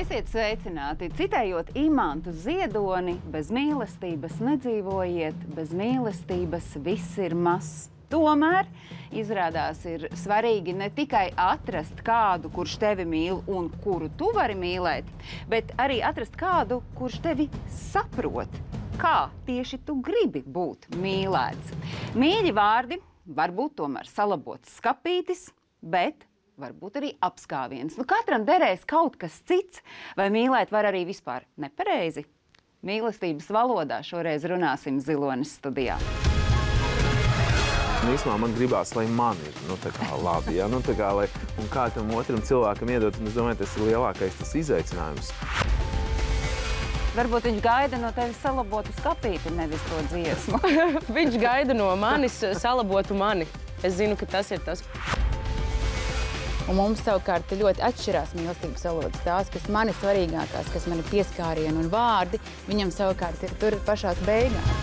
Esiet sveicināti! Citējot Imantu Ziedoni, bez mīlestības nedzīvojiet, bez mīlestības viss ir mazs. Tomēr izrādās ir svarīgi ne tikai atrast kādu, kurš tevi mīl un kuru tu vari mīlēt, bet arī atrast kādu, kurš tevi saprot, kā tieši tu gribi būt mīlēts. Mīļi vārdi var būt tomēr salabots skapītis, bet varbūt arī apskāviens. Katram derēs kaut kas cits, vai mīlēt var arī vispār nepareizi? Mīlestības valodā šoreiz runāsim Zilonis studijā. Īsumā man gribās, lai man ir labi, ja? Un kā tam otram cilvēkam iedot, un es domāju, tas ir lielākais tas izaicinājums. Varbūt viņš gaida no tevis salabotu skapīti, nevis to dziesmu. Viņš gaida no manis salabotu mani. Es zinu, ka tas ir tas. Un mums savukārt ļoti atšķirās mīlestības valodas. Tās, kas man ir svarīgākās, kas man ir pieskārieni un vārdi, viņam savukārt ir tur pašās beigās.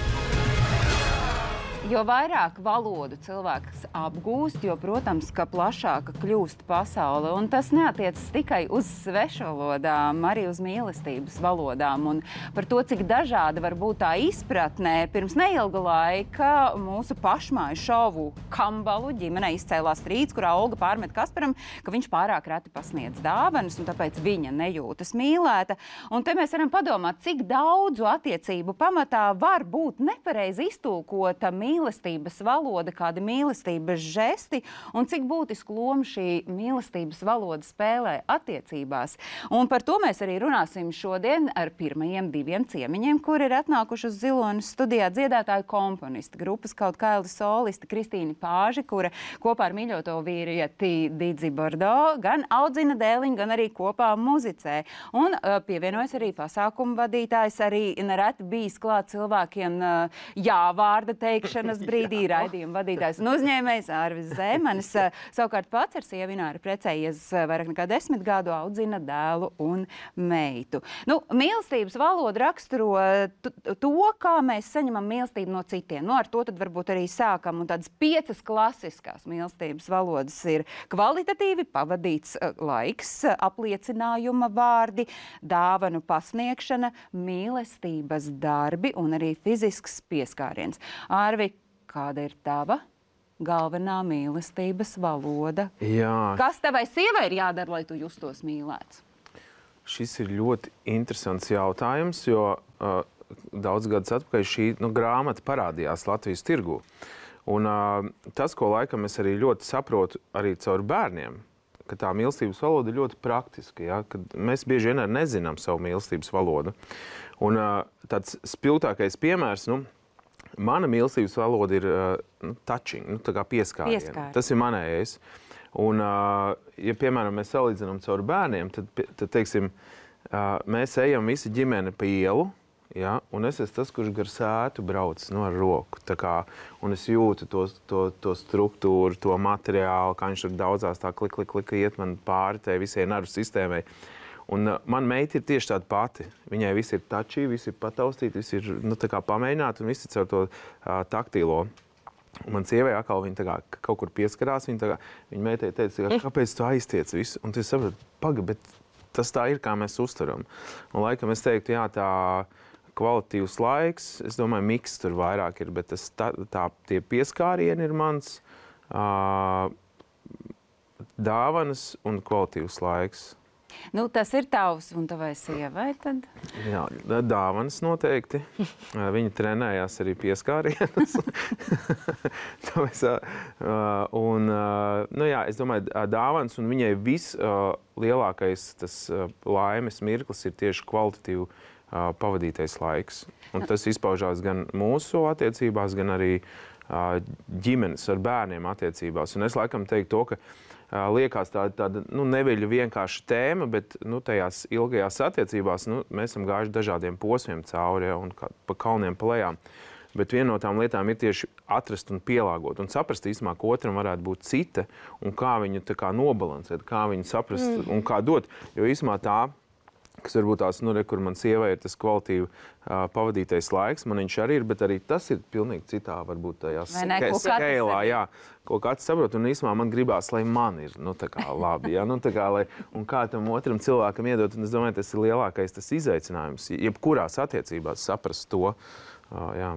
Jo vairāk valodu cilvēks apgūst, jo, protams, ka plašāka kļūst pasaule. Un tas neatiecas tikai uz svešvalodām, arī uz mīlestības valodām. Un par to, cik dažāda var būt tā izpratnē, pirms neilga laika mūsu pašmāju šovu Kambalu ģimenē izcēlās strīds, kurā Olga pārmet Kasparam, ka viņš pārāk reti pasniedz dāvanas, un tāpēc viņa nejūtas mīlēta. Un te mēs varam padomāt, cik daudzu attiecību pamatā var būt nepareizi iztulkota mīlestības valoda, kādi mīlestības žesti un cik būtisku lomu šī mīlestības valoda spēlē attiecībās. Un par to mēs arī runāsim šodien ar pirmajiem diviem ciemiņiem, kuri ir atnākuši uz Zilonas studijā dziedātāju komponisti, grupas Kaut kaili solisti Kristīna Pāži, kura kopā ar mīļoto vīrieti Didzi Bordo gan audzina dēliņu, gan arī kopā muzicē. Un pievienojas arī pasākumu vadītājs, arī nereti bijis klāt cilvēkiem jāvārda teikšanas brīdī, raidījuma vadītājs un uzņēmējs Arvis Zēmanis. Savukārt pats ar sievu Ināru precējies vairāk nekā 10 gadu, audzina dēlu un meitu. Mīlestības valoda raksturo to, kā mēs saņemam mīlestību no citiem. Ar to tad varbūt arī sākam. Un tādas 5 klasiskās mīlestības valodas ir kvalitatīvi pavadīts laiks, apliecinājuma vārdi, dāvanu pasniegšana, mīlestības darbi un arī fizisks pieskāriens. Arvi, kāda ir tava galvenā mīlestības valoda? Jā. Kas tavai sievai ir jādara, lai tu justos mīlēts? Šis ir ļoti interesants jautājums, jo daudz gadus atpakaļ šī grāmata parādījās Latvijas tirgū. Un tas, ko laikam es arī ļoti saprotu arī caur bērniem, ka tā mīlestības valoda ir ļoti praktiska, ja? Kad mēs bieži vien arī nezinām savu mīlestības valodu. Un tāds spilgtākais piemērs, mana mīlestības valoda ir touching, tā kā pieskāriena. Tas ir manējais. Un, ja, piemēram, mēs salīdzinām caur bērniem, tad teiksim, mēs ejam visi ģimene pa ielu, ja, un es esmu tas, kurš gar sētu brauc ar roku. Tā kā, un es jūtu to struktūru, to materiālu, kā viņš tur daudzās tā klik iet man pāri tai visai nervu sistēmai. Un man meita ir tieši tāda pati. Viņai viss ir touchy, viss ir pataustīt, viss ir tā kā pamēģināt un viss ir caur to taktīlo. Un man sievai atkal viņa tā kā kaut kur pieskarās, viņa meitai teica, kāpēc tu aiztiec visu? Un tu saproti, bet tas tā ir, kā mēs uztaram. Un laikam es teiktu, jā, tā kvalitīvs laiks, es domāju, miks tur vairāk ir, bet tie pieskārieni ir mans, dāvanas un kvalitīvs laiks. Tas ir tavs un tavai sievai tad? Jā, dāvanas noteikti. Viņa trenējās arī pieskārienas. Es domāju, dāvanas un viņai lielākais tas laimes mirklis ir tieši kvalitatīvu pavadītais laiks. Un tas izpaužās gan mūsu attiecībās, gan arī ģimenes ar bērniem attiecībās. Un es laikam teiktu to, ka liekas tāda neviļa vienkārši tēma, bet tajās ilgajās attiecībās mēs esam gājuši dažādiem posmiem cauri un pa kalniem pa lejām. Bet viena no tām lietām ir tieši atrast un pielāgot un saprast īstenībā, ka otram varētu būt cita un kā viņu tā kā nobalansēt, kā viņu saprast un kā dot. Jo īstenībā tā, kas varbūt tās, kur man sievai ir tas kvalitīvi pavadītais laiks, man viņš arī ir, bet arī tas ir pilnīgi citā, varbūt tajā skēlā, jā, kaut kāds saprot, un īsumā man gribās, lai man ir, tā kā labi, jā, tā kā, un kā tam otram cilvēkam iedot, un es domāju, tas ir lielākais tas izaicinājums, jebkurās attiecībās saprast to, jā.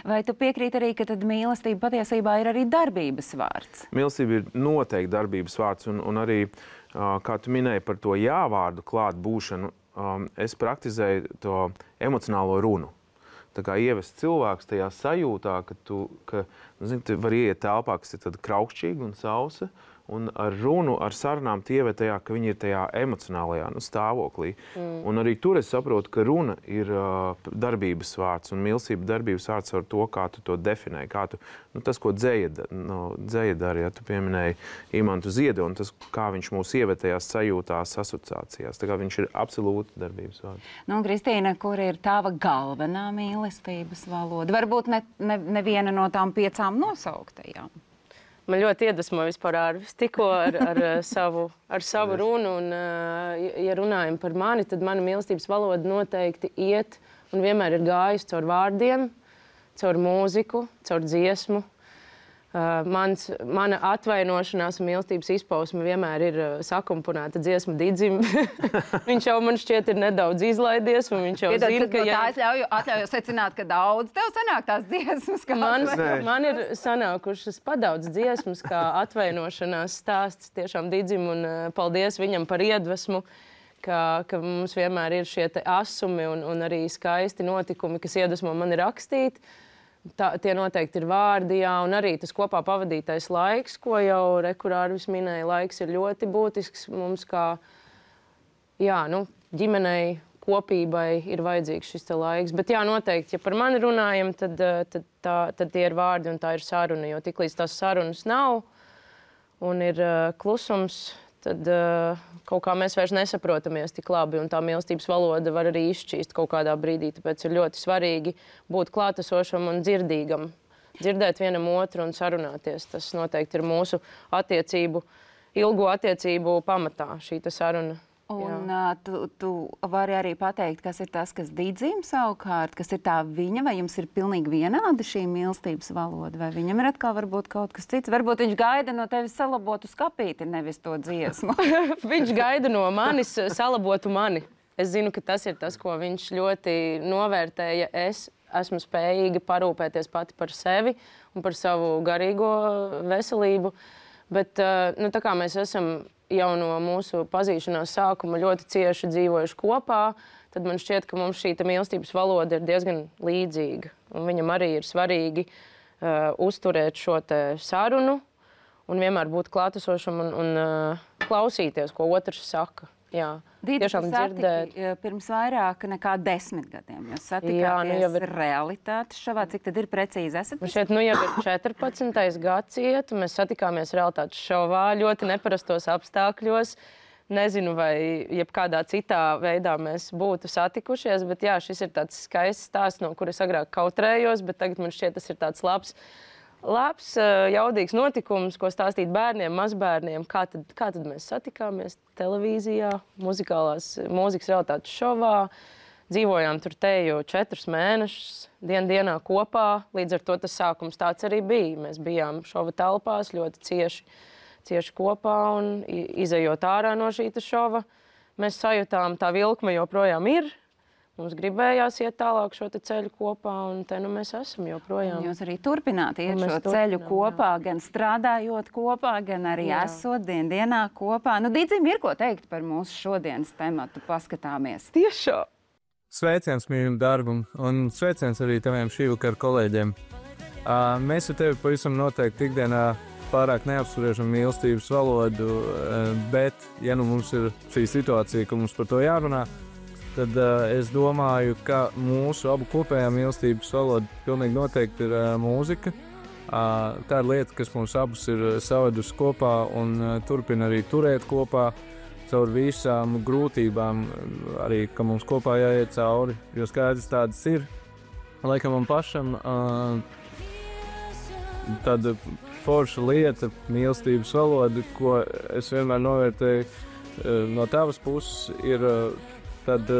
Vai tu piekrīti arī, ka tad mīlestība patiesībā ir arī darbības vārds? Mīlestība ir noteikti darbības vārds, un arī, kā tu minēji par to jā-vārdu klāt būšanu, es praktizēju to emocionālo runu. Tā kā ievest cilvēks tajā sajūtā, ka tu vari ieiet telpā, kas ir tad kraukšķīga un sausa, un ar runu, ar sarunām ieved tajā, ka viņi ir tajā emocionālajā stāvoklī. Un arī tur es saprotu, ka runa ir darbības vārds, un mīlestība darbības vārds ar to, kā tu to definē, kā tu, tas, ko dzēja dara, ja tu pieminēji Imantu Ziedu, un tas, kā viņš mūs ieved tajās sajūtās, asociācijās. Tā kā viņš ir absolūti darbības vārds. Kristīna, kur ir tava galvenā mīlestības valoda? Varbūt neviena no tām 5 nosauktajām. Man ļoti iedvesmo vispār Arvis tikko ar savu runu. Un, ja runājam par mani, tad mana mīlestības valoda noteikti iet un vienmēr ir gājusi caur vārdiem, caur mūziku, caur dziesmu. Mana atvainošanās un mīlestības izpausme vienmēr ir sakomponēta dziesma Didzim. Viņš jau man šķiet ir nedaudz izlaidies, un viņš jau zina, ka... Tā es atļauju secināt, ka daudz tev sanāk tās dziesmas. Man ir sanākušas padaudz dziesmas, kā atvainošanās stāsts tiešām Didzim, un paldies viņam par iedvesmu, ka mums vienmēr ir šie te asumi un arī skaisti notikumi, kas iedvesmo mani rakstīt. Tie noteikti ir vārdi, jā, un arī tas kopā pavadītais laiks, ko jau Arvis minēja, laiks ir ļoti būtisks mums kā, ģimenei, kopībai ir vajadzīgs šis te laiks. Bet jā, noteikti, ja par mani runājam, tad tie ir vārdi un tā ir saruna, jo tiklīdz tās sarunas nav un ir klusums, tad kaut kā mēs vairs nesaprotamies tik labi, un tā mīlestības valoda var arī izšķīst kaut kādā brīdī. Tāpēc ir ļoti svarīgi būt klātesošam un dzirdīgam. Dzirdēt vienam otru un sarunāties. Tas noteikti ir mūsu ilgo attiecību pamatā, šī saruna. Un tu vari arī pateikt, kas ir tas, kas Didzim savukārt, kas ir tā viņa, vai jums ir pilnīgi vienāda šī mīlestības valoda, vai viņam ir atkal varbūt kaut kas cits? Varbūt viņš gaida no tevis salabotu skapīti, nevis to dziesmu. Viņš gaida no manis salabotu mani. Es zinu, ka tas ir tas, ko viņš ļoti novērtēja. Es esmu spējīga parūpēties pati par sevi un par savu garīgo veselību. Bet tā kā mēs esam jau no mūsu pazīšanās sākuma ļoti cieši dzīvojuši kopā, tad man šķiet, ka mums šī mīlestības valoda ir diezgan līdzīga. Un viņam arī ir svarīgi uzturēt šo te sarunu un vienmēr būt klātesošam un klausīties, ko otrs saka. Jā, tiešām dzirdēt. Pirms vairāk nekā 10 gadiem. Jūs satikāties realitātes šovā. Cik tad ir precīzi esat? Šeit jau ir 14. gads iet, un mēs satikāmies realitātes šovā ļoti neparastos apstākļos. Nezinu, vai jebkādā citā veidā mēs būtu satikušies, bet jā, šis ir tāds skaists stāsts, no kuras agrāk kautrējos, bet tagad man šķiet, tas ir tāds labs, jaudīgs notikums, ko stāstīt bērniem, mazbērniem. Kā tad mēs satikāmies televīzijā, mūzikas realitātes šovā. Dzīvojām tur teju 4 mēnešus, dienā kopā. Līdz ar to tas sākums tāds arī bija. Mēs bijām šova telpās ļoti cieši kopā un izejot ārā no šī šova. Mēs sajūtām, tā vilkme joprojām ir. Mums gribējās iet tālāk šo ceļu kopā, un te mēs esam joprojām. Jūs arī turpināt iet šo ceļu kopā, gan strādājot kopā, gan arī esot dienā kopā. Didzim, ir ko teikt par mūsu šodienas tematu, paskatāmies. Tiešām! Sveiciens mīļam darbam, un sveiciens arī taviem šī vakara kolēģiem. Mēs ar tevi pavisam noteikti ikdienā pārāk neapspriežam mīlestības valodu, bet, ja mums ir šī situācija, ka mums par to jārunā, tad es domāju, ka mūsu abu kopējā mīlestības valoda pilnīgi noteikti ir mūzika. Tā ir lieta, kas mums abus ir savedusi kopā un turpina arī turēt kopā caur visām grūtībām, arī, ka mums kopā jāiet cauri, jo skaidrs tādas ir. Laikam man pašam tāda forša lieta, mīlestības valoda, ko es vienmēr novērtēju no tavas puses, ir tāda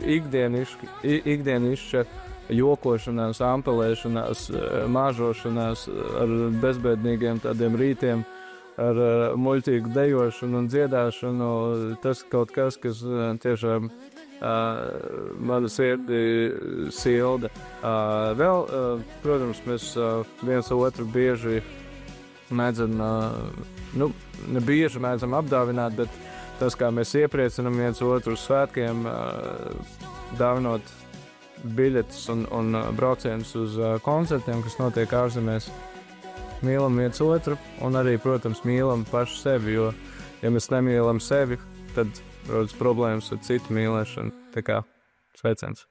ikdienišķa jokošanās, ampelēšanās, māžošanās ar bezbēdīgiem tādiem rītiem, ar muļķīgu dejošanu un dziedāšanu. Tas kaut kas, kas tiešām manu sirdi silda. Vēl, protams, mēs viens otru bieži mēdzam, ne bieži mēdzam apdāvināt, bet tas, kā mēs iepriecinam viens otru uz svētkiem, dāvinot biļetes un braucienus uz koncertiem, kas notiek ārzemēs. Mīlam viens otru un arī, protams, mīlam pašu sevi, jo, ja mēs nemīlam sevi, tad rodas problēmas ar citu mīlēšanu. Tā kā sveiciens.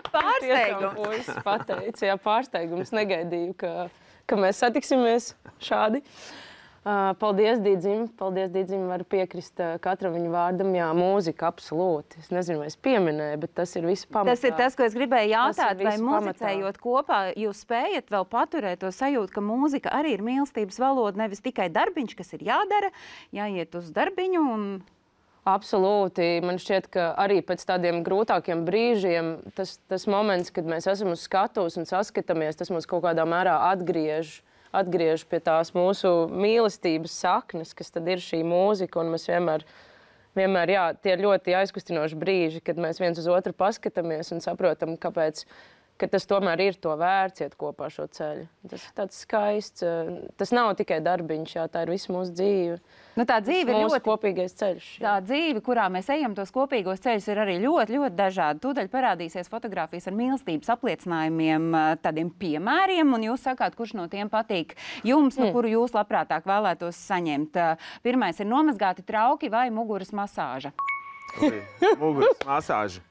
Pārsteigums. Pateicu, jā, pārsteigums. Negaidīju, ka mēs satiksimies šādi. Paldies, Dīdzim. Paldies, Dīdzim. Varu piekrist katram viņa vārdam. Jā, mūzika absolūti. Es nezinu, vai es pieminēju, bet tas ir viss pamatā. Tas ir tas, ko es gribēju jautāt, vai muzicējot kopā, jūs spējat vēl paturēt to sajūtu, ka mūzika arī ir mīlestības valoda, nevis tikai darbiņš, kas ir jādara, jāiet uz darbiņu un... Absolūti. Man šķiet, ka arī pēc tādiem grūtākiem brīžiem tas moments, kad mēs esam uz skatuves un saskatāmies, tas mums kaut kādā mērā atgriež pie tās mūsu mīlestības saknes, kas tad ir šī mūzika, un mēs vienmēr, jā, tie ir ļoti aizkustinoši brīži, kad mēs viens uz otru paskatāmies un saprotam, ka tas tomēr ir to vērts iet kopā šo ceļu. Tas ir tāds skaists, tas nav tikai darbiņš, jā, tā ir visu mūsu dzīve. Nu, tā dzīve ir mūsu kopīgais ceļš. Jā. Tā dzīve, kurā mēs ejam tos kopīgos ceļus, ir arī ļoti, ļoti dažādi. Tūdaļ parādīsies fotogrāfijas ar mīlestības apliecinājumiem, tādiem piemēriem, un jūs sakāt, kurš no tiem patīk jums, kuru jūs labprātāk vēlētos saņemt. Pirmais ir nomazgāti trauki vai muguras masāža? Muguras masāža.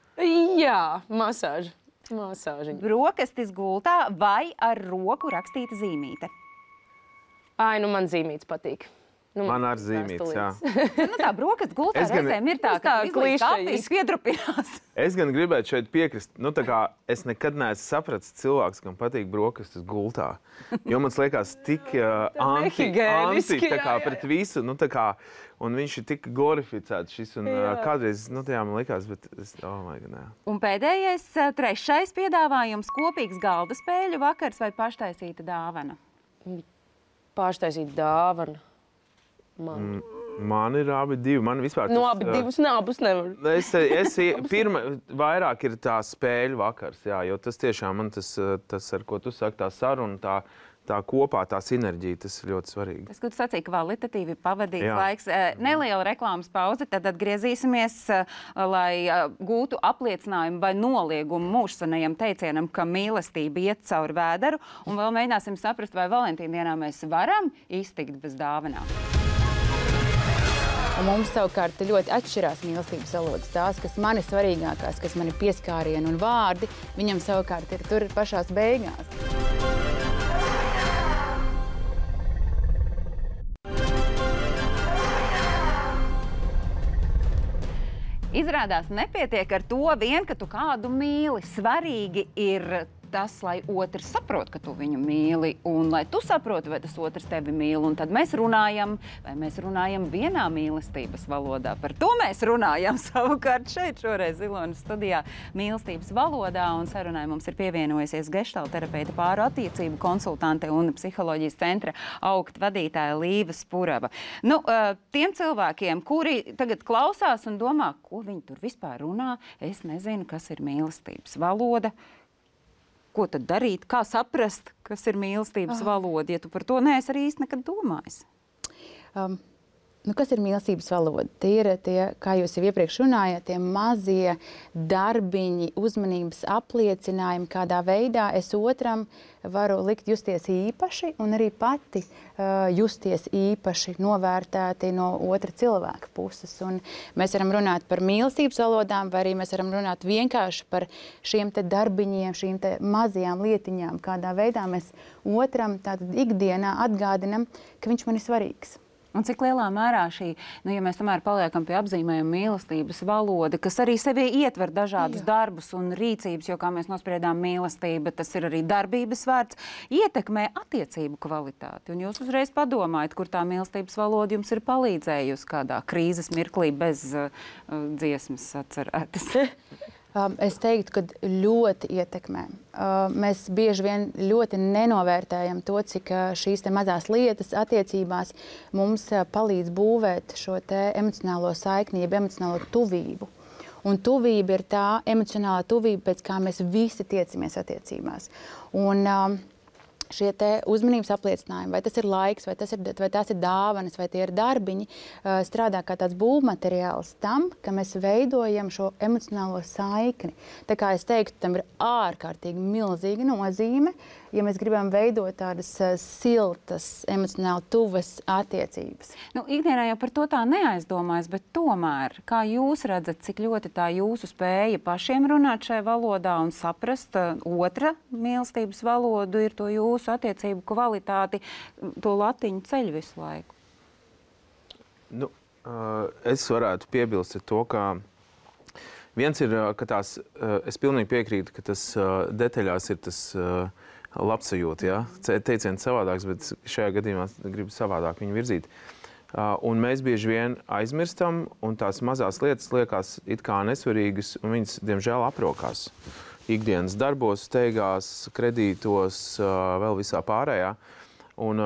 Jā, masāža. Masāžiņa. Brokastis gultā vai ar roku rakstīta zīmīte? Man zīmītes patīk. Man ar zīmītes, jā. Tā brokastis gultā reizēm ir tā, ka izlīdz kafijas piedrupinās. Es gan gribētu šeit piekrist, tā kā es nekad neesmu sapratis cilvēks, kam patīk brokastis gultā. Jo man liekas tik anti, tā kā pret visu, tā kā, un viņš ir tik glorificēts šis, un kādreiz, jā, man liekas, bet es, nē. Un pēdējais, trešais piedāvājums, kopīgs galda spēļu vakars vai paštaisīta dāvana? Paštaisīta dāvana. Man ir abi divi. Man vispār tas... abi divus abus nevar. Pirma vairāk ir tā spēļu vakars, jā, jo tas tiešām man tas, ar ko tu saki, tā saruna, tā kopā, tā sinerģija, tas ir ļoti svarīgi. Tas, ko tu sacīji, kvalitatīvi pavadīts laiks. Neliela reklāmas pauze, tad atgriezīsimies, lai gūtu apliecinājumu vai noliegumu mūžsanajam teicienam, ka mīlestība iet cauri vēderu, un vēl mēģināsim saprast, vai Valentīna dienā mēs varam iztikt bez dāvanām. Un mums savukārt ļoti atšķirās mīlestības valodas. Tās, kas man ir svarīgākās, kas man ir pieskārieni un vārdi, viņam savukārt ir tur pašās beigās. Izrādās nepietiek ar to vien, ka tu kādu mīli. Svarīgi ir tas, lai otrs saprot, ka tu viņu mīli, un lai tu saproti, vai tas otrs tevi mīl. Un tad mēs runājam, vai mēs runājam vienā mīlestības valodā. Par to mēs runājam savukārt šeit šoreiz Ilonas studijā mīlestības valodā, un sarunai mums ir pievienojusies geštāla terapeita pāru attiecību konsultante un psiholoģijas centra augt vadītāja Līva Spurava. Tiem cilvēkiem, kuri tagad klausās un domā, ko viņi tur vispār runā, es nezinu, kas ir mīlestības valoda. Ko tad darīt? Kā saprast, kas ir mīlestības valoda? Ja tu par to neesi arī īsti nekad domājis. Kas ir mīlestības valoda? Tie ir tie, kā jūs jau iepriekš runājāt, tie mazie darbiņi, uzmanības apliecinājumi, kādā veidā es otram varu likt justies īpaši un arī pati justies īpaši novērtēti no otra cilvēka puses. Un mēs varam runāt par mīlestības valodām, vai arī mēs varam runāt vienkārši par šiem te darbiņiem, šīm te mazajām lietiņām, kādā veidā mēs otram tātad ikdienā atgādinam, ka viņš man ir svarīgs. Un cik lielā mērā šī, ja mēs tomēr paliekam pie apzīmējuma mīlestības valoda, kas arī sevī ietver dažādus darbus un rīcības, jo, kā mēs nospriedām, mīlestība, tas ir arī darbības vārds, ietekmē attiecību kvalitāti. Un jūs uzreiz padomājat, kur tā mīlestības valoda jums ir palīdzējusi kādā krīzes mirklī bez dziesmas atcerētas. Es teiktu, ka ļoti ietekmē. Mēs bieži vien ļoti nenovērtējam to, cik šīs mazās lietas attiecībās mums palīdz būvēt šo emocionālo saikni, jeb emocionālo tuvību. Un tuvība ir tā emocionālā tuvība, pēc kā mēs visi tiecamies attiecībās. Un šie uzmanības apliecinājumi, vai tas ir laiks, vai tās ir dāvanas, vai tie ir darbiņi, strādā kā tāds būvmateriāls tam, ka mēs veidojam šo emocionālo saikni. Tā kā es teiktu, tam ir ārkārtīgi milzīga nozīme, ja mēs gribam veidot tādas siltas, emocionāli tuvas attiecības. Ikdienā jau par to tā neaizdomājas, bet tomēr, kā jūs redzat, cik ļoti tā jūsu spēja pašiem runāt šajā valodā un saprast otra mīlestības valodu ir to jūsu attiecību kvalitāti, to latiņu ceļu visu laiku? Es varētu piebilst to, ka viens ir, ka tās, es pilnīgi piekrītu, ka tas detaļās ir tas labsajūta, ja? Teiciens savādāks, bet šajā gadījumā gribu savādāk viņu virzīt. Un mēs bieži vien aizmirstam, un tās mazās lietas liekas it kā nesvarīgas, un viņas, diemžēl, aprokās. Ikdienas darbos, steigās, kredītos, vēl visā pārējā. Un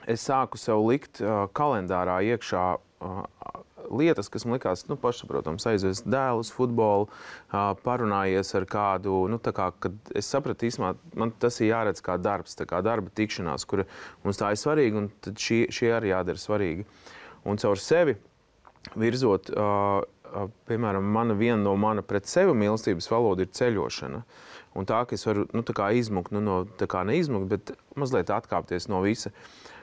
es sāku sev likt kalendārā iekšā lietas, kas man likās, pašsaprotams, aizvest dēlu uz futbolu, parunājies ar kādu, kad es sapratu īsumā, man tas ir jāredz kā darbs, tā kā darba tikšanās, kura mums tā ir svarīga, un tad šie arī jādara svarīgi. Un caur sevi virzot, piemēram, viena no mana pret sevi mīlestības valoda ir ceļošana. Un tā, ka es varu, izmukt, neizmukt, bet mazliet atkāpties no visa.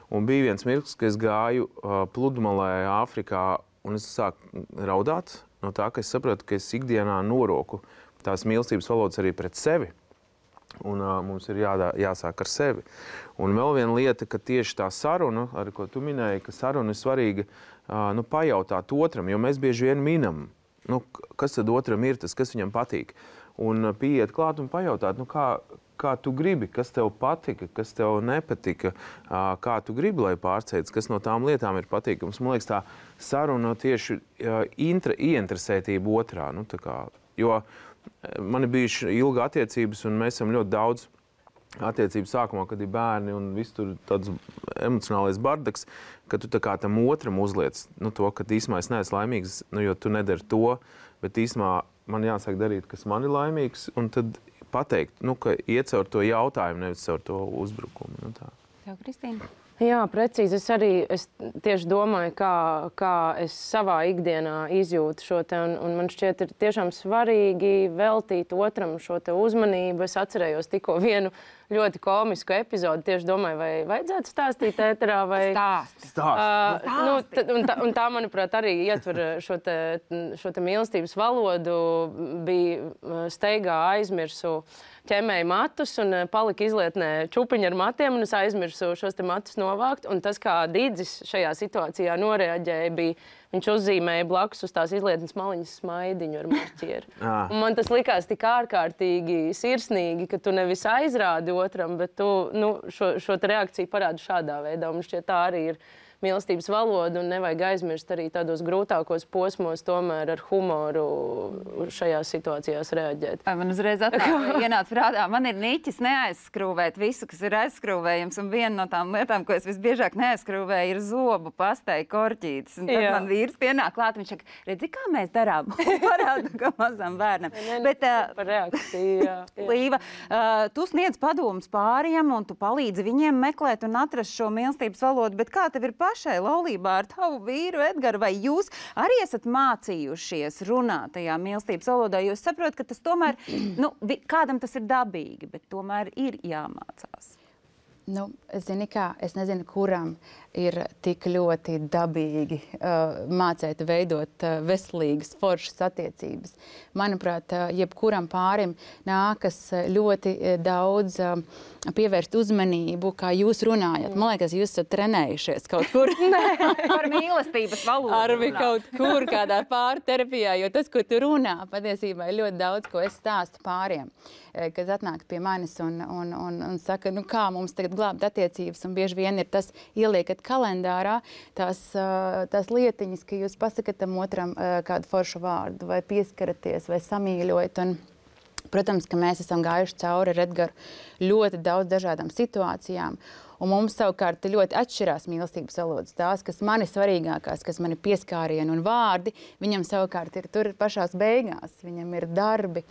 Un bija viens mirklis, ka es gāju pludmalē Āfrikā, un es sāku raudāt no tā, ka es saprotu, ka es ikdienā noroku tās mīlestības valodas arī pret sevi. Un mums ir jāsāk ar sevi. Un vēl viena lieta, ka tieši tā saruna, ar ko tu minēji, ka saruna ir svarīga, pajautāt otram, jo mēs bieži vien minam, kas tad otram ir tas, kas viņam patīk. Un pieiet klāt un pajautāt, kā tu gribi, kas tev patika, kas tev nepatika, kā tu gribi, lai pārsteidz, kas no tām lietām ir patīkams. Man liekas, tā saruna tieši ieinteresētība otrā. Jo man ir bijuši ilga attiecības, un mēs esam ļoti daudz attiecību sākumā, kad ir bērni un viss tur tāds emocionālais bardaks, ka tu tā kā tam otram uzliec to, ka īsumā es neesmu laimīgs, jo tu nedari to, bet īsumā man jāsāk darīt, kas man ir laimīgs, un tad pateikt, ka iet caur to jautājumu, nevis caur to uzbrukumu. Tev, Kristīna? Jā, precīzi. Es tieši domāju, kā es savā ikdienā izjūtu šo te, un man šķiet ir tiešām svarīgi veltīt otram šo te uzmanību. Es atcerējos tikko vienu ļoti komisku epizodi. Tieši domāju, vai vajadzētu stāstīt ēterā vai... Un tā, manuprāt, arī ietver šo te mīlestības valodu. Bija steigā aizmirsu ķemēju matus un palika izlietnē čupiņu ar matiem, un es aizmirsu šos te matus novākt. Un tas, kā Didzis šajā situācijā noreaģēja, bija, viņš uzzīmēja blakus uz tās izlietnes maliņas smaidiņu ar marķieru. Un man tas likās tik ārkārtīgi sirsnīgi, ka tu nevis aizrādi otram, bet tu šo te reakciju parādi šādā veidā. Un šķiet, tā arī ir mīlestības valoda, un nevajag aizmirst arī tādos grūtākos posmos tomēr ar humoru šajās situācijās reaģēt. Man uzreiz ienāca prātā, man ir niķis neaizskrūvēt visu, kas ir aizskrūvējams, un viena no tām lietām, ko es visbiežāk neaizskrūvēju, ir zobu pastei korķītes. Un tad man vīrs pienāk klāt, viņš saka, redzi, kā mēs darām? Parādu, kā mazam bērnam. Bet, par reakciju, jā. Līva, tu sniedz padomus pāriem, un tu palīdzi viņiem meklēt un atrast šo mīlestības valodu, bet kā tev ir pašai laulībā ar tavu vīru Edgaru, vai jūs arī esat mācījušies runāt tajā mīlestības valodā, jo es saprotu, ka tas tomēr, kādam tas ir dabīgi, bet tomēr ir jāmācās. Zini kā, es nezinu, kuram ir tik ļoti dabīgi mācēt veidot veselīgas, foršas attiecības. Manuprāt, jebkuram pārim nākas ļoti daudz pievērst uzmanību, kā jūs runājat. Man liekas, jūs esat trenējušies kaut kur. Par mīlestības valodu. Arvi kaut kur kādā pārterapijā, jo tas, ko tu runā, patiesībā ir ļoti daudz, ko es stāstu pāriem, kad atnāk pie manis un saka, kā mums tagad glābt attiecības, un bieži vien ir tas, ieliekat kalendārā tās lietiņas, ka jūs pasakat tam otram kādu foršu vārdu, vai pieskaraties, vai samīļojat, un protams, ka mēs esam gājuši cauri ar Edgaru ļoti daudz dažādām situācijām, un mums savukārt ļoti atšķirās mīlestības valodas. Tās, kas man ir svarīgākās, kas man ir pieskārieni un vārdi, viņam savukārt ir tur pašās beigās. Viņam ir darbi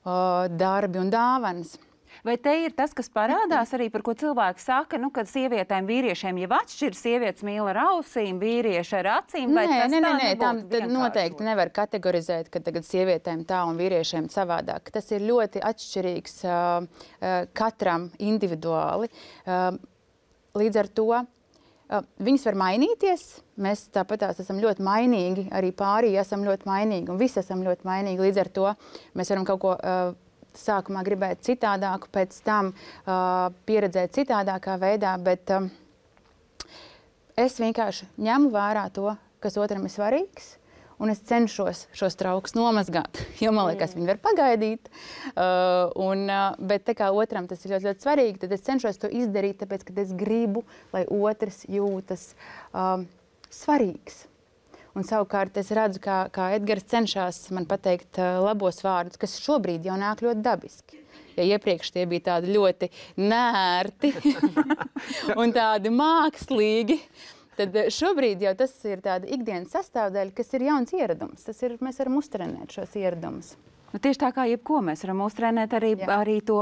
un dāvanas. Vai te ir tas, kas parādās arī, par ko cilvēki saka, kad sievietēm vīriešiem jau atšķir, sievietes mīl ar ausīm, vīrieši ar acīm? Nē, tam noteikti nevar kategorizēt, ka tagad sievietēm tā un vīriešiem savādāk. Tas ir ļoti atšķirīgs katram individuāli. Līdz ar to viņas var mainīties. Mēs tāpatās esam ļoti mainīgi, arī pārī esam ļoti mainīgi un visi esam ļoti mainīgi. Līdz ar to mēs varam kaut ko sākumā gribēt citādāku, pēc tam pieredzēt citādākā veidā, bet es vienkārši ņemu vērā to, kas otram ir svarīgs, un es cenšos šos traukus nomazgāt, jo man liekas, viņi var pagaidīt. Bet tā kā otram tas ir ļoti, ļoti svarīgi, tad es cenšos to izdarīt, tāpēc, ka es gribu, lai otrs jūtas svarīgs. Un savukārt es redzu, kā Edgars cenšas man pateikt labos vārdus, kas šobrīd jau nāk ļoti dabiski. Ja iepriekš tie bija tādi ļoti nērti un tādi mākslīgi, tad šobrīd jau tas ir tāda ikdienas sastāvdaļa, kas ir jauns ieradums. Mēs varam uztrenēt šos ieradumus. Tieši tā kā jebko mēs varam uztrenēt arī to,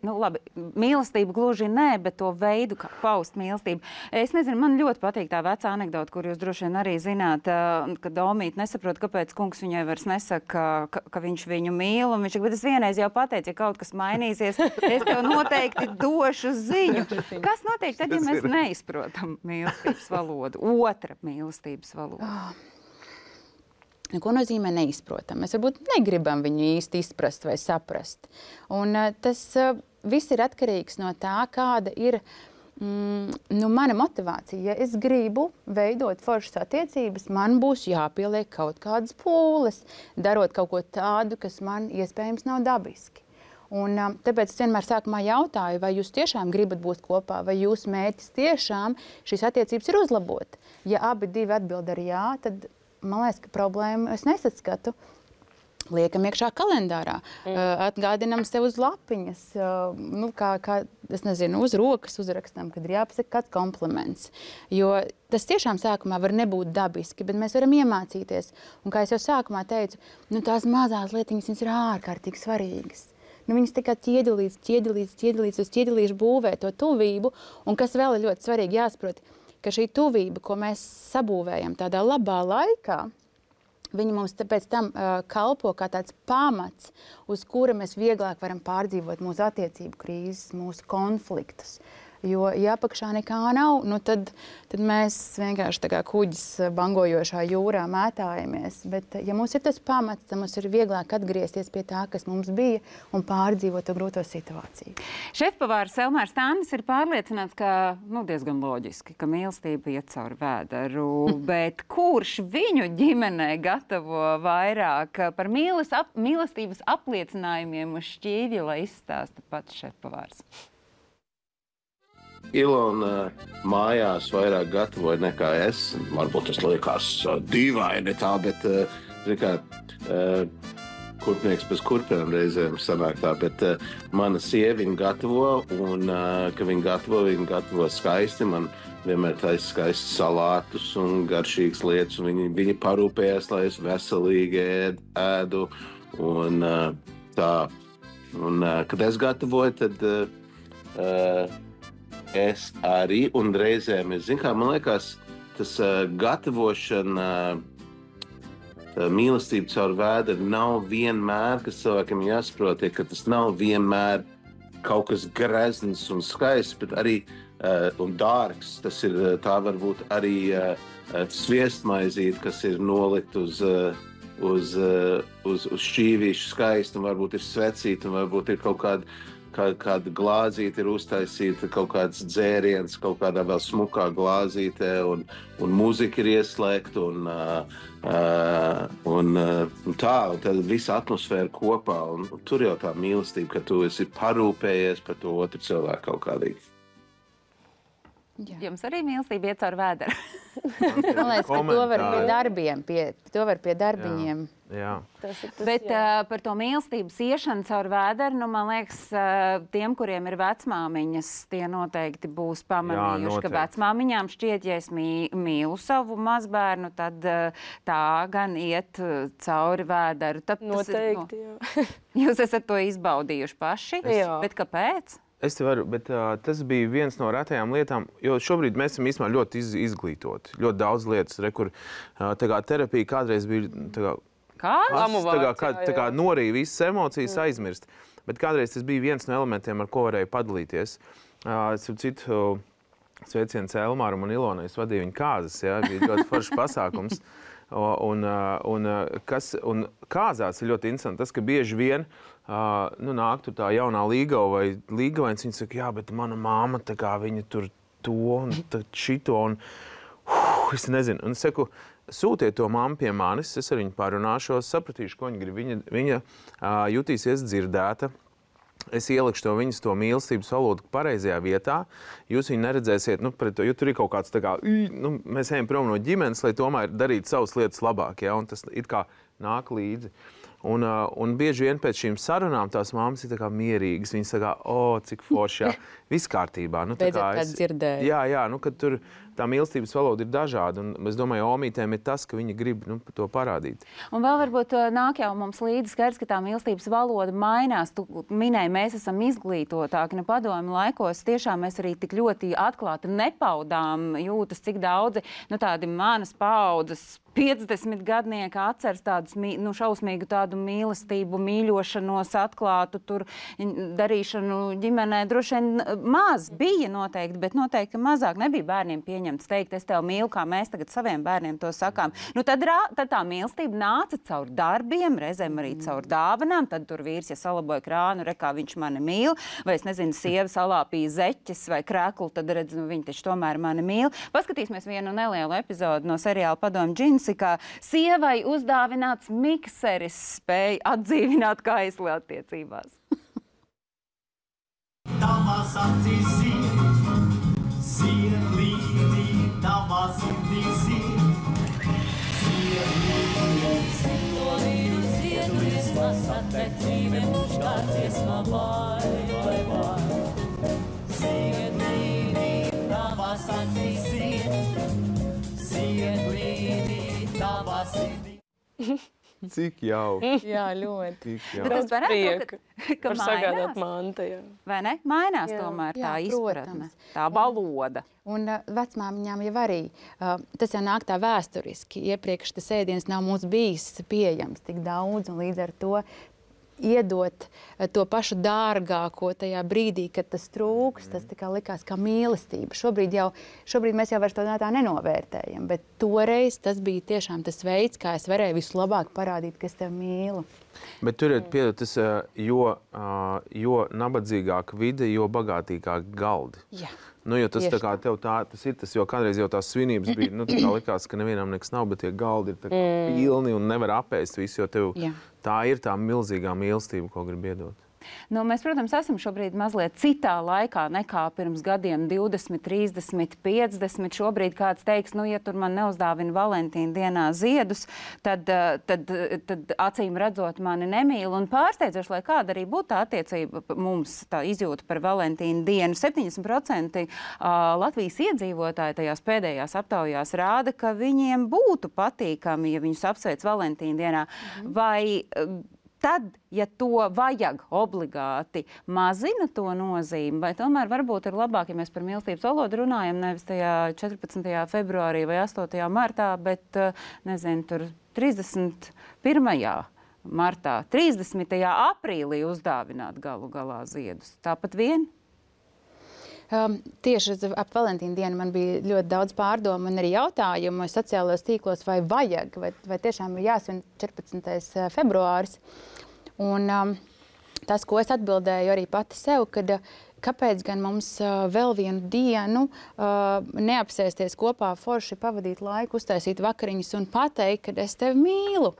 labi, mīlestību gluži nē, bet to veidu, kā paust mīlestību. Es nezinu, man ļoti patīk tā vecā anekdota, kur jūs droši vien arī zināt, ka Domīte nesaprot, kāpēc kungs viņai vairs nesaka, ka viņš viņu mīl, un viņš saka, bet es vienreiz jau pateicu, ja kaut kas mainīsies, es tev noteikti došu ziņu. Kas notiek tad, ja mēs neizprotam mīlestības valodu, otra mīlestības valodu? Ko nozīmē neizprotam? Mēs varbūt negribam viņu īsti izprast vai saprast. Un tas viss ir atkarīgs no tā, kāda ir mana motivācija. Ja es gribu veidot foršas attiecības, man būs jāpieliek kaut kādas pūles, darot kaut ko tādu, kas man iespējams nav dabiski. Un tāpēc es vienmēr sākumā jautāju, vai jūs tiešām gribat būt kopā, vai jūsu mērķis tiešām šīs attiecības ir uzlabot. Ja abi divi atbild ar jā, tad man liekas, ka problēmu es nesaskatu. Liekam iekšā kalendārā, atgādinam sev uz lapiņas, es nezinu, uz rokas uzrakstam, kad ir jāpasaka kāds kompliments. Jo tas tiešām sākumā var nebūt dabiski, bet mēs varam iemācīties. Un kā es jau sākumā teicu, tās mazās lietiņas viņas ir ārkārtīgi svarīgas. Viņas tikai ķieģelīdz uz ķieģelīšu būvē to tuvību, un kas vēl ir ļoti svarīgi jāsaprot, ka šī tuvība, ko mēs sabūvējam tādā labā laikā, viņa mums pēc tam kalpo kā tāds pamats, uz kura mēs vieglāk varam pārdzīvot mūsu attiecību krīzes, mūsu konfliktus. Jo, ja apakšā nekā nav, tad mēs vienkārši tā kā kuģis bangojošā jūrā mētājamies. Bet, ja mums ir tas pamats, tad mums ir vieglāk atgriezties pie tā, kas mums bija, un pārdzīvot to grūto situāciju. Šefpavārs Elmārs Tānis ir pārliecināts, ka diezgan loģiski, ka mīlestība iet cauri vēderu, bet kurš viņu ģimenē gatavo vairāk par mīlestības apliecinājumiem uz šķīvja, lai izstāsta pats šefpavārs? Ilona mājās vairāk gatavoja nekā es. Varbūt tas liekas dīvaini tā, bet kurpnieks pēc kurpēm reizēm sanāk tā, bet mana sieviņa gatavo, un ka viņa gatavo skaisti. Man vienmēr taisa skaisti salātus un garšīgas lietas, un viņi parūpējas, lai es veselīgi ēdu. Un tā, un kad es gatavoju, tad es arī, un reizēm, man liekas, tas gatavošana, mīlestība caur vēderu nav vienmēr, kas cilvēkiem jāsaprot, ka tas nav vienmēr kaut kas grezns un skaists, bet arī un dārgs. Tā varbūt arī sviestmaizīte, kas ir nolikt uz šķīvīšu skaistu, un varbūt ir svecīta, un varbūt ir kaut kāda glāzīte ir uztaisīta, kaut kāds dzēriens, kaut kādā vēl smukā glāzītē, un mūzika ir ieslēgta, un tad visa atmosfēra kopā, un tur jau tā mīlestība, ka tu esi parūpējies par to otru cilvēku kaut kādīgi. Jums arī mīlestība iet caur vēderu. Man liekas, ka to var pie darbiem, pie darbiņiem. Jā. Bet par to mīlestības iešanu caur vēderu, nu, man liekas, tiem, kuriem ir vecmāmiņas, tie noteikti būs pamanījuši, ka vecmāmiņām šķiet, ja es mīlu savu mazbērnu, tad tā gan iet cauri vēderu. Noteikti, jā. Jūs esat to izbaudījuši paši, bet kāpēc? Es te varu, bet tas bija viens no retajām lietām, jo šobrīd mēs esam īstenībā ļoti izglītoti. Ļoti daudz lietas, kur terapija kādreiz bija kā norīja visas emocijas, aizmirst. Bet kādreiz tas bija viens no elementiem, ar ko varēja padalīties. Sveiciens Elmāram un Ilonai, es vadīju viņu kāzas, bija ļoti foršs pasākums. Un kāzās ir ļoti interesanti tas, ka bieži vien nāk tur tā jaunā līgava vai līgavains, viņi saka, jā, bet mana māma, viņa tur to un šito, un es nezinu. Un es saku, sūtiet to mammu pie manis, es ar viņu parunāšos, sapratīšu, ko viņa grib. Viņa jutīsies dzirdēta. Es ielikšu viņas to mīlestības valodu pareizajā vietā. Jūs viņu neredzēsiet, jo tur ir kaut kāds mēs ejam prom no ģimenes, lai tomēr darītu savas lietas labāk, un tas it kā nāk līdzi. Un bieži vien pēc šīm sarunām tās mammas ir mierīgas. Viņas saka, cik forši, viss kārtībā. Beidzot kāds dzirdēja. Jā, kad tur tā mīlestības valoda ir dažāda. Un es domāju, omītēm ir tas, ka viņi grib to parādīt. Un vēl varbūt nāk jau mums līdzi skaidrs, ka tā mīlestības valoda mainās. Tu minēji, mēs esam izglītotāki. Padomju laikos tiešām mēs arī tik ļoti atklāti nepaudām jūtas, cik daudzi tādi manas paaudzes 50 gadnieki atceras tādu šausmīgu tādu mīlestību, mīļošanos, atklātu tur darīšanu ģimenē. Droši vien maz bija noteikti, bet noteikti mazāk nebija bērniem pieņemts teikt, es tev mīlu, kā mēs tagad saviem bērniem to sakām. Tad tā mīlestība nāca caur darbiem, reizēm arī caur dāvanām. Tad tur vīrs, ja salaboja krānu, kā viņš mani mīl, vai es nezinu, sieva salāpīja zeķes vai krēklu, tad redz, viņi taču tomēr mani mīl. Paskatīsimies vienu nelielu epizodu no seriāla Padomju džinsi, kā sievai uzdāvināts mikseris spēja atdzīvināt kaisli attiecībās. Tavas acīs sielīdī, tavas sirdīs sielīdī. Sielīdī, sielīdī, sasatecīme muškārties vai. Sielīdī, tavas acīs sielīdī, tavas sirdīs. Cik jauki. Jā, ļoti. Bet es varētu, ka var sagādāt manta, jā. Vai ne? Mainās tomēr tā izpratne, protams. tā valoda. Un vecmāmiņām jau arī, tas jau nāk tā vēsturiski. Iepriekš tas ēdiens nav mums bijis pieejams tik daudz, un līdz ar to iedot to pašu dārgāko tajā brīdī, kad tas trūks, tas tā kā likās kā mīlestība. Šobrīd mēs jau vairs to tā nenovērtējam, bet toreiz tas bija tiešām tas veids, kā es varēju vislabāk parādīt, ka es tevi mīlu. Bet tur ir piedod, jo nabadzīgāka vide, jo bagātīgāk galdi. Jā. Jo tas tā kā tev tas ir tas, jo kādreiz jau tās svinības bija, tā kā likās, ka nevienam nekas nav, bet tie galdi ir tā kā pilni un nevar apēst visu, jo tev tā ir tā milzīgā mīlestība, ko grib iedot. Mēs, protams, esam šobrīd mazliet citā laikā nekā pirms gadiem 20, 30, 50. Šobrīd kāds teiks, ja tur man neuzdāvina Valentīna dienā ziedus, tad acīm redzot mani nemīl. Un pārsteidzoši, lai kāda arī būtu tā attiecība mums, tā izjūta par Valentīna dienu, 70% Latvijas iedzīvotāji tajās pēdējās aptaujās rāda, ka viņiem būtu patīkami, ja viņus apsveic Valentīna dienā. Vai tad, ja to vajag obligāti, mazina to nozīmi, vai tomēr varbūt ir labāk, ja mēs par mīlestības valodu runājam nevis tajā 14. februārī vai 8. martā, bet, nezinu, tur 31. martā, 30. aprīlī uzdāvināt galu galā ziedus. Tāpat vien? Tieši ap Valentīna dienu man bija ļoti daudz pārdomu un arī jautājumu sociālajos tīklos, vai vajag, vai tiešām ir jāsvin 14. februāris. Un tas, ko es atbildēju arī pati sev, kad kāpēc gan mums vēl vienu dienu neapsēsties kopā, forši pavadīt laiku, uztaisīt vakariņas un pateikt, ka es tevi mīlu.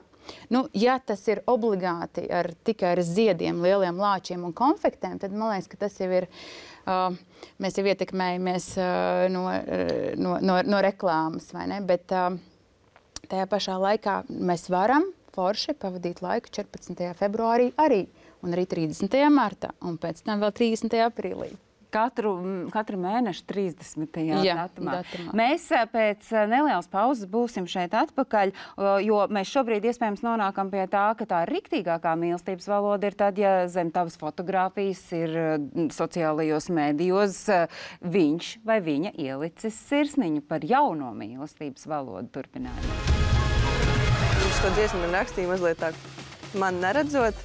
Nu, ja tas ir obligāti tikai ar ziediem, lieliem lāčiem un konfektēm, tad man liekas, ka tas jau ir, mēs jau ietekmējamies no reklāmas, vai ne? Bet tajā pašā laikā mēs varam forši pavadīt laiku 14. februārī arī, un arī 30. martā, un pēc tam vēl 30. aprīlī. Katru mēnešu 30. datumā. Mēs pēc nelielas pauzes būsim šeit atpakaļ, jo mēs šobrīd iespējams nonākam pie tā, ka tā riktīgākā mīlestības valoda ir tad, ja zem tavas fotogrāfijas ir sociālajos mēdījos viņš vai viņa ielicis sirsniņu par jauno mīlestības valodu turpinājumu. Viņš to dziesmu man rakstīja mazliet tā, man neredzot.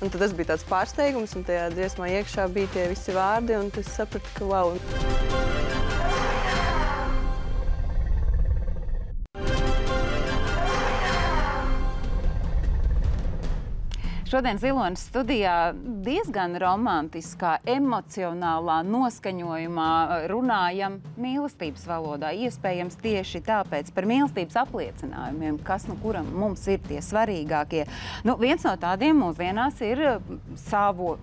Un tad tas bija tāds pārsteigums, un tajā dziesmā iekšā bija tie visi vārdi, un es sapratu, ka wow. Šodien Ziloņas studijā diezgan romantiskā, emocionālā noskaņojumā runājam mīlestības valodā. Iespējams tieši tāpēc par mīlestības apliecinājumiem, kas nu kuram mums ir tie svarīgākie. Nu, viens no tādiem mūsdienās ir savu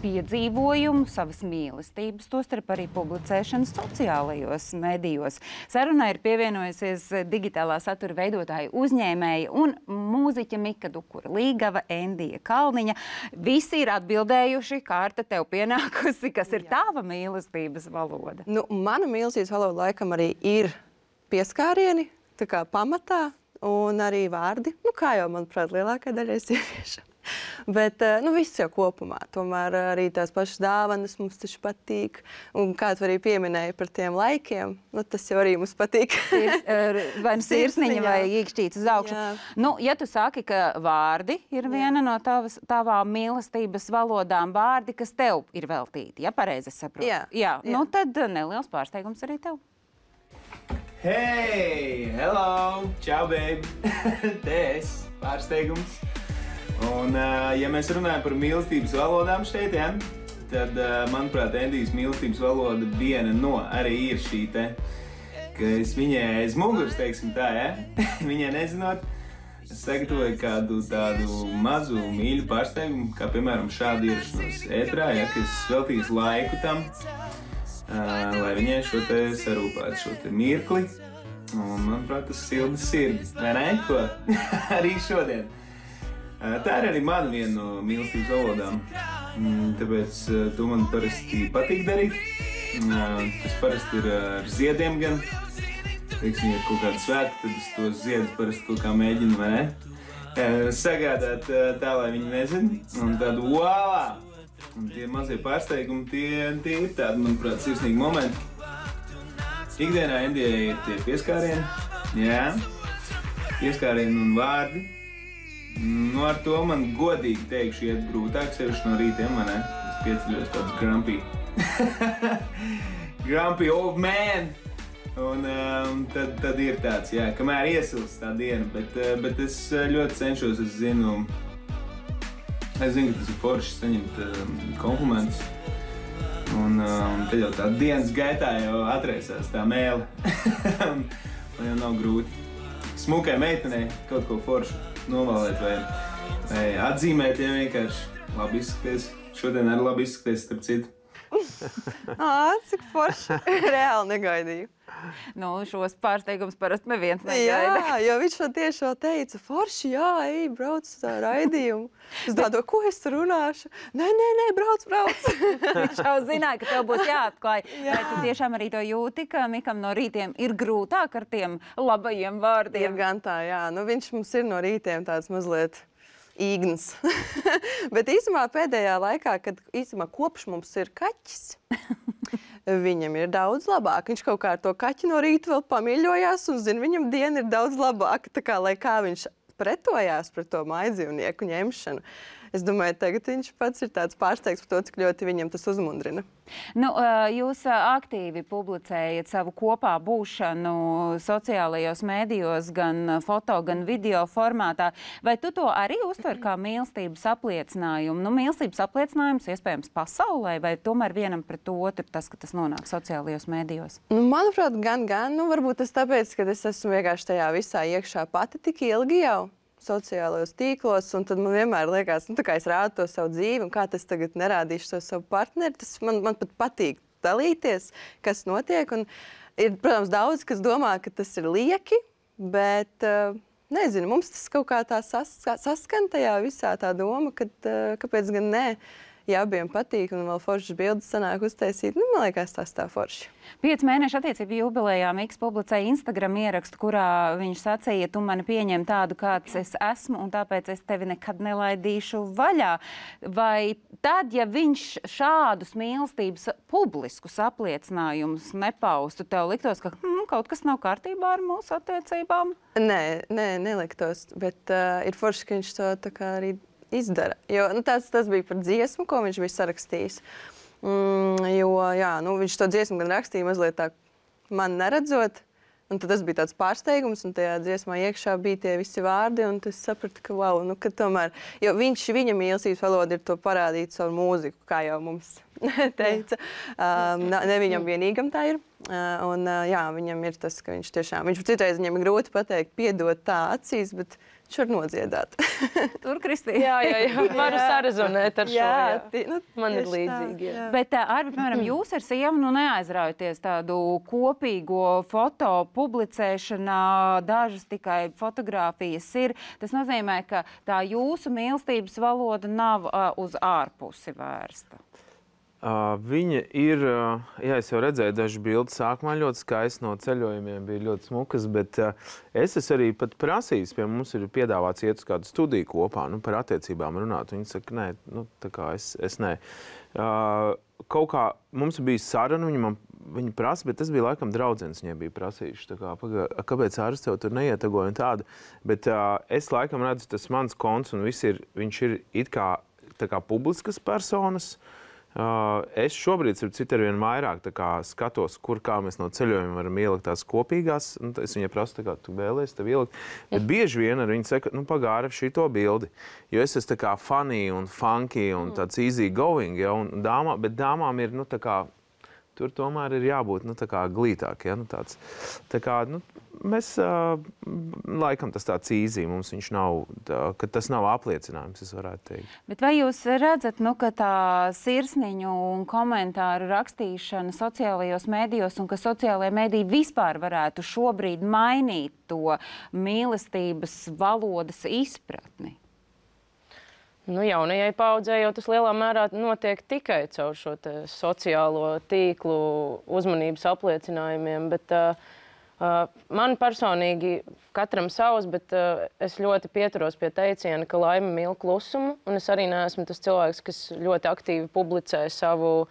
piedzīvojumu, savas mīlestības, tostarp arī publicēšana sociālajos medijos. Sarunā ir pievienojusies digitālā satura veidotāja uzņēmēja un mūziķa Mika Dukura Līgava, Endija Kalniņa. Visi ir atbildējuši, kārta tev pienākusi, kas ir tava mīlestības valoda. Nu, mana mīlestības valoda laikam arī ir pieskārieni, tā kā pamatā, un arī vārdi. Nu, kā jau, manuprāt, lielākai daļai sieviešu. Bet viss jau kopumā. Tomēr arī tās pašas dāvanas mums taču patīk. Un kā tu arī pieminēji par tiem laikiem, tas jau arī mums patīk. Vai nu sirsniņa vai īkšķīts uz augšu. Jā. Nu, ja tu saki, ka vārdi ir viena no tavām mīlestības valodām, vārdi, kas tev ir veltīti, ja pareizi saprotu? Jā. Nu, tad neliels pārsteigums arī tev. Hey, hello, čau, babe. Te es, pārsteigums. Un, ja mēs runājam par mīlestības valodām šeit, ja, tad, manuprāt, Endijas mīlestības valoda viena no arī ir šī te, ka es viņai aiz muguras, teiksim tā, ja, viņai nezinot, es sagatavoju kādu tādu mazu mīļu pārsteigumu, kā, piemēram, šādu ierašanos ētrā, ja, kas veltīs laiku tam, lai viņai šo te sarūpētu, šo te mirkli. Un, manuprāt, tas silda sirdi, vai ne, ko? Arī šodien. Tā ir arī mana viena no mīlestības valodām, tāpēc to man parasti patīk darīt. Tas parasti ir ar ziediem gan. Teiksim, ja ir kaut kāda svētki, tad es tos ziedus parasti kaut kā mēģinu, vai ne? Sagādāt tā, lai viņi nezina, un tādu wow! Un tie mazie pārsteigumi, tie ir tādi, manuprāt, sirsnīgi momenti. Ikdienā Endijai ir tie pieskārieni, jā, pieskārieni un vārdi. Nu, ar to man godīgi teikšu, iet grūtāk, sevišķi no rītiem, vai ne? Es pieceļos tāds grumpy. Grumpy old man! Un tad ir tāds, jā, kamēr iesilst tā diena, bet es ļoti cenšos, es zinu, ka tas ir forši saņemt komplimentus. Un tad jau tā dienas gaitā jau atraisās tā mēle. Un jau nav grūti. Smukai meitenei kaut ko foršu novalēt vai atzīmēt, ja vienkārši labi izskaties. Šodien arī labi izskaties, starp citu. Cik forši. Reāli negaidīju. Nu, šos pārsteigumus parasti neviens negaida. Jā, jo viņš man tieši vēl teica, forši, jā, ej, brauc uz tā raidījumu. Es domāju, ko es tur runāšu? Nē, brauc. Viņš jau zināja, ka tev būs jāatklāj. Vai tu tiešām arī to jūti, ka Mikam no rītiem ir grūtāk ar tiem labajiem vārdiem? Ir gan tā, jā. Nu, viņš mums ir no rītiem tāds mazliet īgns. Bet īsumā pēdējā laikā, kad īsumā kopš mums ir kaķis, viņam ir daudz labāk. Viņš kaut kā ar to kaķi no rīta vēl pamīļojās un, viņam diena ir daudz labāka. Tā kā, lai kā viņš pretojās pret to mājdzīvnieku ņemšanu. Es domāju, tagad viņš pats ir tāds pārsteigts par to, cik ļoti viņam tas uzmundrina. Nu, jūs aktīvi publicējat savu kopā būšanu sociālajos mēdījos, gan foto, gan video formātā. Vai tu to arī uztver kā mīlestības apliecinājumu? Nu, mīlestības apliecinājums iespējams pasaulē, vai tomēr vienam pret otru tas, ka tas nonāk sociālajos mēdījos? Nu, manuprāt, gan. Nu, varbūt tas tāpēc, ka es esmu vienkārši tajā visā iekšā pati tik ilgi jau sociālajos tīklos, un tad man vienmēr liekas, nu, tā kā es rādu to savu dzīvi, un kā tas tagad nerādīšu to savu partneri, tas man pat patīk dalīties, kas notiek, un ir, protams, daudz, kas domā, ka tas ir lieki, bet, nezinu, mums tas kaut kā tā saskan tajā visā tā doma, ka kāpēc gan nē, ja abiem patīk, un vēl foršas bildes sanāk uztaisīt, nu, man liekas, tas tā forši. 5 mēnešu attiecību jubilejā Miks publicēja Instagram ierakstu, kurā viņš sacīja, tu mani pieņem tādu, kāds es esmu, un tāpēc es tevi nekad nelaidīšu vaļā. Vai tad, ja viņš šādus mīlestības publiskus apliecinājumus nepaustu, tev liktos, ka kaut kas nav kārtībā ar mūsu attiecībām? Nē, neliktos, bet ir forši, ka viņš to tā kā arī izdara. Jo tas bija par dziesmu, ko viņš bija sarakstījis. Jo jā, viņš to dziesmu gan rakstīja mazliet tā man neredzot, un tad tas bija tāds pārsteigums, un tajā dziesmā iekšā bija tie visi vārdi, un es sapratu, ka wow, ka tomēr, jo viņa mīlestības valoda ir to parādīt savu mūziku, kā jau mums teica. Ne viņam vienīgam tā ir. Un jā, viņam ir tas, ka viņš citreiz viņam ir grūti pateikt, piedot tā acīs, bet viņš var nodziedāt. Tur, Kristīna. Jā. Varu sarezonēt ar šo. Jā, man ir līdzīgi. Jā. Bet, Arvi, piemēram, jūs ar sievu neaizraujaties tādu kopīgo foto publicēšanā, dažas tikai fotogrāfijas ir. Tas nozīmē, ka tā jūsu mīlestības valoda nav uz ārpusi vērsta. Viņa ir, jā, es jau redzēju dažas bildes, sākumā ļoti skaisti no ceļojumiem, bija ļoti smukas, bet es esmu arī pat prasījis, pie mums ir piedāvāts iet uz kādu studiju kopā, par attiecībām runāt. Viņi saka, nē, tā kā es nē. Kaut kā mums bija saruna, viņa prasa, bet tas bija laikam draudzenes viņai bija prasījuši. Tā kā, kāpēc ārsts tev tur neietagoja un tādu? Bet es laikam redzu, tas mans konts un viņš ir it kā tā kā publiskas personas. Es šobrīd arvien vairāk skatos, kā mēs no ceļojuma varam ielikt tās kopīgās. Es viņai prasu, kā tu vēlies tev ielikt. Bet bieži vien ar viņu saka, pagāri šito bildi. Jo es esmu tā kā funny un funky un tāds easy going, ja, bet dāmām ir, tur tomēr ir jābūt, tā kā glītāk, ja, tāds. Tā kā, mēs, laikam tas tāds easy, mums viņš nav, ka tas nav apliecinājums, es varētu teikt. Bet vai jūs redzat, ka tā sirsniņu un komentāru rakstīšana sociālajos mēdījos un ka sociālajie mēdīji vispār varētu šobrīd mainīt to mīlestības valodas izpratni? Jaunajai paudzei jau tas lielā mērā notiek tikai caur šo sociālo tīklu uzmanības apliecinājumiem, bet man personīgi katram savs, bet es ļoti pieturos pie teiciena, ka laime mīl klusumu, un es arī neesmu tas cilvēks, kas ļoti aktīvi publicē savu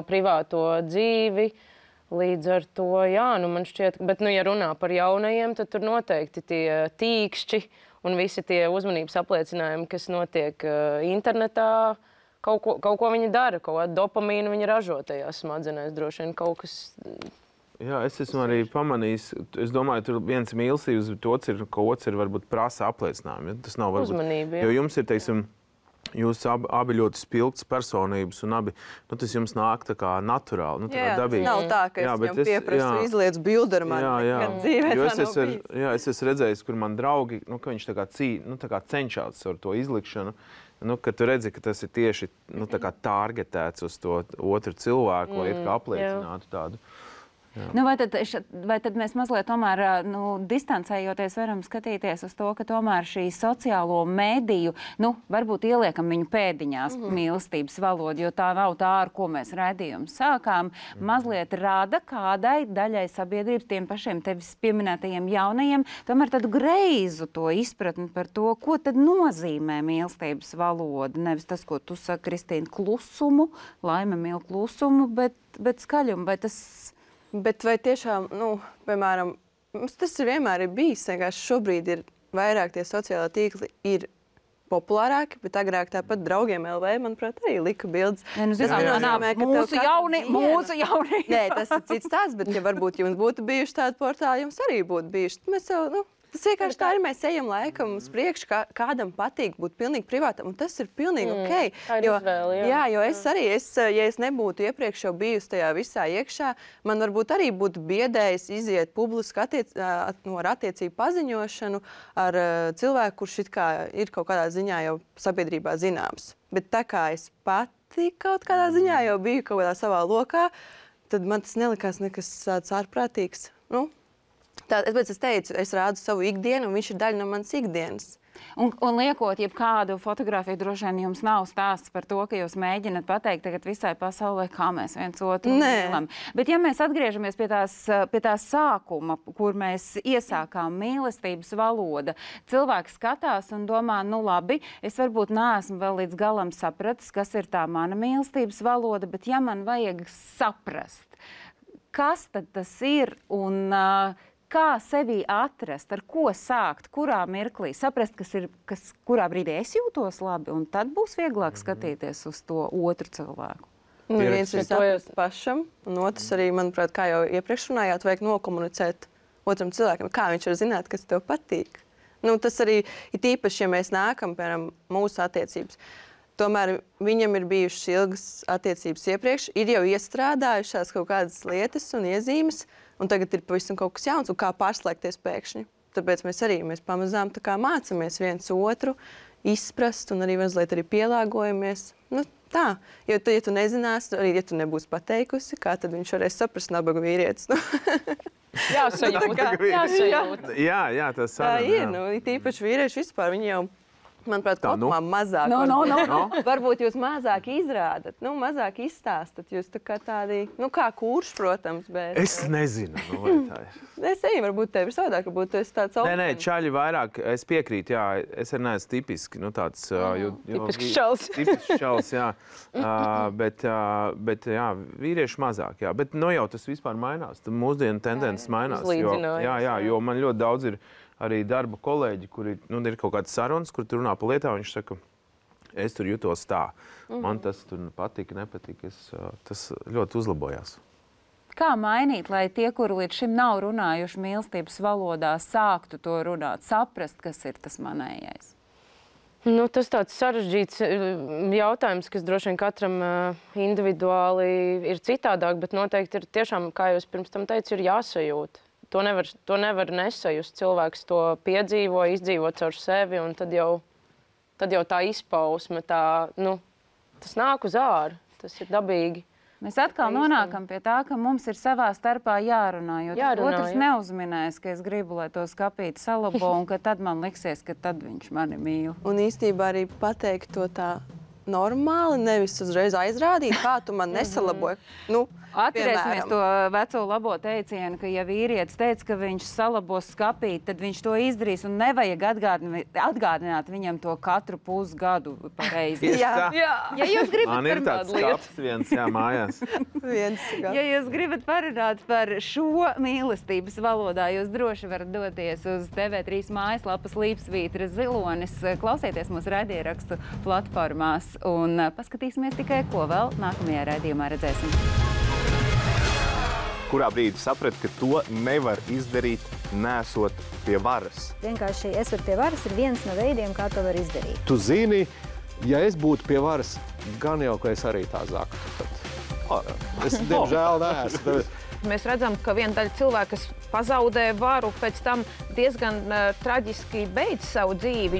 privāto dzīvi. Līdz ar to, jā, man šķiet, bet, ja runā par jaunajiem, tad tur noteikti tie tīkšķi un visi tie uzmanības apliecinājumi, kas notiek internetā, kaut ko viņi dara, kaut kādu dopamīnu viņi ražo tajās smadzenēs, droši vien kaut kas. Jā, es esmu arī pamanījis, es domāju, tur viens mīlestības, bet otrs ir varbūt prasa apliecinājumi. Tas nav varbūt uzmanība, jo jums ir, teiksim, jūs abi ļoti spilgtas personības, un abi, tas jums nāk tā kā naturāli, tā kā dabīgi. Nav tā, ka es viņam pieprasu izliec bildi ar mani, kad dzīvē tā nav bijis. Jā, es esmu redzējis, kur man draugi, ka viņš tā kā cenšās ar to izlikšanu, ka tu redzi, ka tas ir tieši tā kā targetēts uz to otru cilvēku, lai it kā apliecinātu tādu. Vai tad mēs mazliet tomēr distancējoties varam skatīties uz to, ka tomēr šī sociālo mediju, varbūt ieliekam viņu pēdiņās mīlestības valodu, jo tā nav tā, ar ko mēs raidījumu sākām, mazliet rada kādai daļai sabiedrības, tiem pašiem tevis pieminētajiem jaunajiem, tomēr tādu greizu to izpratni par to, ko tad nozīmē mīlestības valoda. Nevis tas, ko tu saki, Kristīna, klusumu, laime mīl klusumu, bet skaļumu, vai tas... Bet vai tiešām, piemēram, mums tas vienmēr ir bijis, vienkārši šobrīd ir vairāk tie sociālā tīkli ir populārāki, bet agrāk tāpat draugiem LV, manuprāt, arī lika bildes. Mūsu jaunie. Nē, tas ir cits tāds, bet ja varbūt jums būtu bijuši tādi portāli, jums arī būtu bijuši. Mēs jau, tas vienkārši tā ir, mēs ejam laikam uz priekšu, kādam patīk būt pilnīgi privātam, un tas ir pilnīgi ok. Tā ir izvēle, jā, jo es arī, ja es nebūtu iepriekš jau bijusi tajā visā iekšā, man varbūt arī būtu biedējis iziet publiski ar attiecību paziņošanu ar cilvēku, kurš it kā ir kaut kādā ziņā jau sabiedrībā zināms. Bet tā kā es pati kaut kādā ziņā jau biju kaut kādā savā lokā, tad man tas nelikās nekas tāds ārprātīgs. Tāpēc es teicu, es rādu savu ikdienu, un viņš ir daļa no manas ikdienas. Un liekot jebkādu fotografiju, droši vien jums nav stāsts par to, ka jūs mēģināt pateikt tagad visai pasaulē, kā mēs viens otru mīlam. Bet ja mēs atgriežamies pie tās sākuma, kur mēs iesākām mīlestības valoda, cilvēks skatās un domā, labi, es varbūt neesmu vēl līdz galam sapratis, kas ir tā mana mīlestības valoda, bet ja man vajag saprast, kas tad tas ir un kā sevi atrast, ar ko sākt, kurā mirklī, saprast, kurā brīdī es jūtos labi, un tad būs vieglāk skatīties uz to otru cilvēku. Viens ir saprast pašam, un otrs arī, manuprāt, kā jau iepriekš runājāt, vajag nokomunicēt otram cilvēkam, kā viņš var zināt, kas tev patīk. Tas arī ir tīpaši, ja mēs nākam, piemēram, mūsu attiecības. Tomēr viņam ir bijušas ilgas attiecības iepriekš, ir jau iestrādājušās kaut kādas lietas un iezīmes, un tagad ir pavisam kaut kas jauns, un kā pārslēgties pēkšņi. Tāpēc mēs pamazām mācāmies viens otru izprast, un arī mazliet arī pielāgojamies. Tā, jo ja tu nezināsi, arī ja tu nebūsi pateikusi, kā tad viņš varēs saprast nabaga vīrietis. Jāsajūt. Jā, tas arī. Tā ir, tīpaši vīrieši vispār, viņi jau, manuprāt, kopumā mazāk. Varbūt jūs mazāk izrādat, mazāk izstāstat. Jūs tā kā tādi, kā kurš, protams, bet... Es nezinu, vai tā ir. Es arī, varbūt tev ir savādāk, varbūt tu esi tāds augsts. Nē, čaļi vairāk, es piekrītu, jā, es arī neesmu tipiski, tāds... Tipisks čals. Tipisks čals, jā. Bet, jā, vīrieši mazāk, jā. Bet, jau tas vispār mainās. Mūsdienu tendences mainās. Jā, jo man ļoti daudz ir arī darba kolēģi, kuri ir kaut kāds sarunas, kur tu runā par lietām, viņš saka, es tur jutos tā. Man tas tur patika, nepatika. Tas ļoti uzlabojās. Kā mainīt, lai tie, kuri līdz šim nav runājuši mīlestības valodā, sāktu to runāt, saprast, kas ir tas manējais? Tas tāds sarežģīts jautājums, kas droši vien katram individuāli ir citādāk, bet noteikti ir tiešām, kā jūs pirms tam teicu, ir jāsajūt. To nevar nesajust. Cilvēks to piedzīvo, izdzīvo caur sevi, un tad jau tā izpausme, tas nāk uz āru, tas ir dabīgi. Mēs atkal nonākam pie tā, ka mums ir savā starpā jārunā, jo otrs neuzminēs, ka es gribu, lai to skapīti salabo, un ka tad man liksies, ka tad viņš mani mīl. Un īstībā arī pateikt to tā normāli, nevis uzreiz aizrādīt, kā tu man nesalaboji. Atcerēsimies to veco labo teicienu, ka ja vīrietis teica, ka viņš salabos skapīt, tad viņš to izdarīs un nevajag atgādināt viņam to katru pusgadu pareizi. Jā. Ja jūs gribat man ir tāds skaps viens, mājās. Ja jūs gribat parunāt par šo mīlestības valodā, jūs droši varat doties uz TV3 mājaslapas Līpsvītra zilonis, klausieties mūsu raidierakstu platformās un paskatīsimies tikai, ko vēl nākamajā raidījumā redzēsim. Kurā brīdī saprati, ka to nevar izdarīt, nesot pie varas? Vienkārši esot pie varas ir viens no veidiem, kā to var izdarīt. Tu zini, ja es būtu pie varas, gan jau, ka es arī tā zaktu. Es, diemžēl, neesmu. Mēs redzam, ka viena daļa cilvēka, kas pazaudē varu, pēc tam diezgan traģiski beidz savu dzīvi.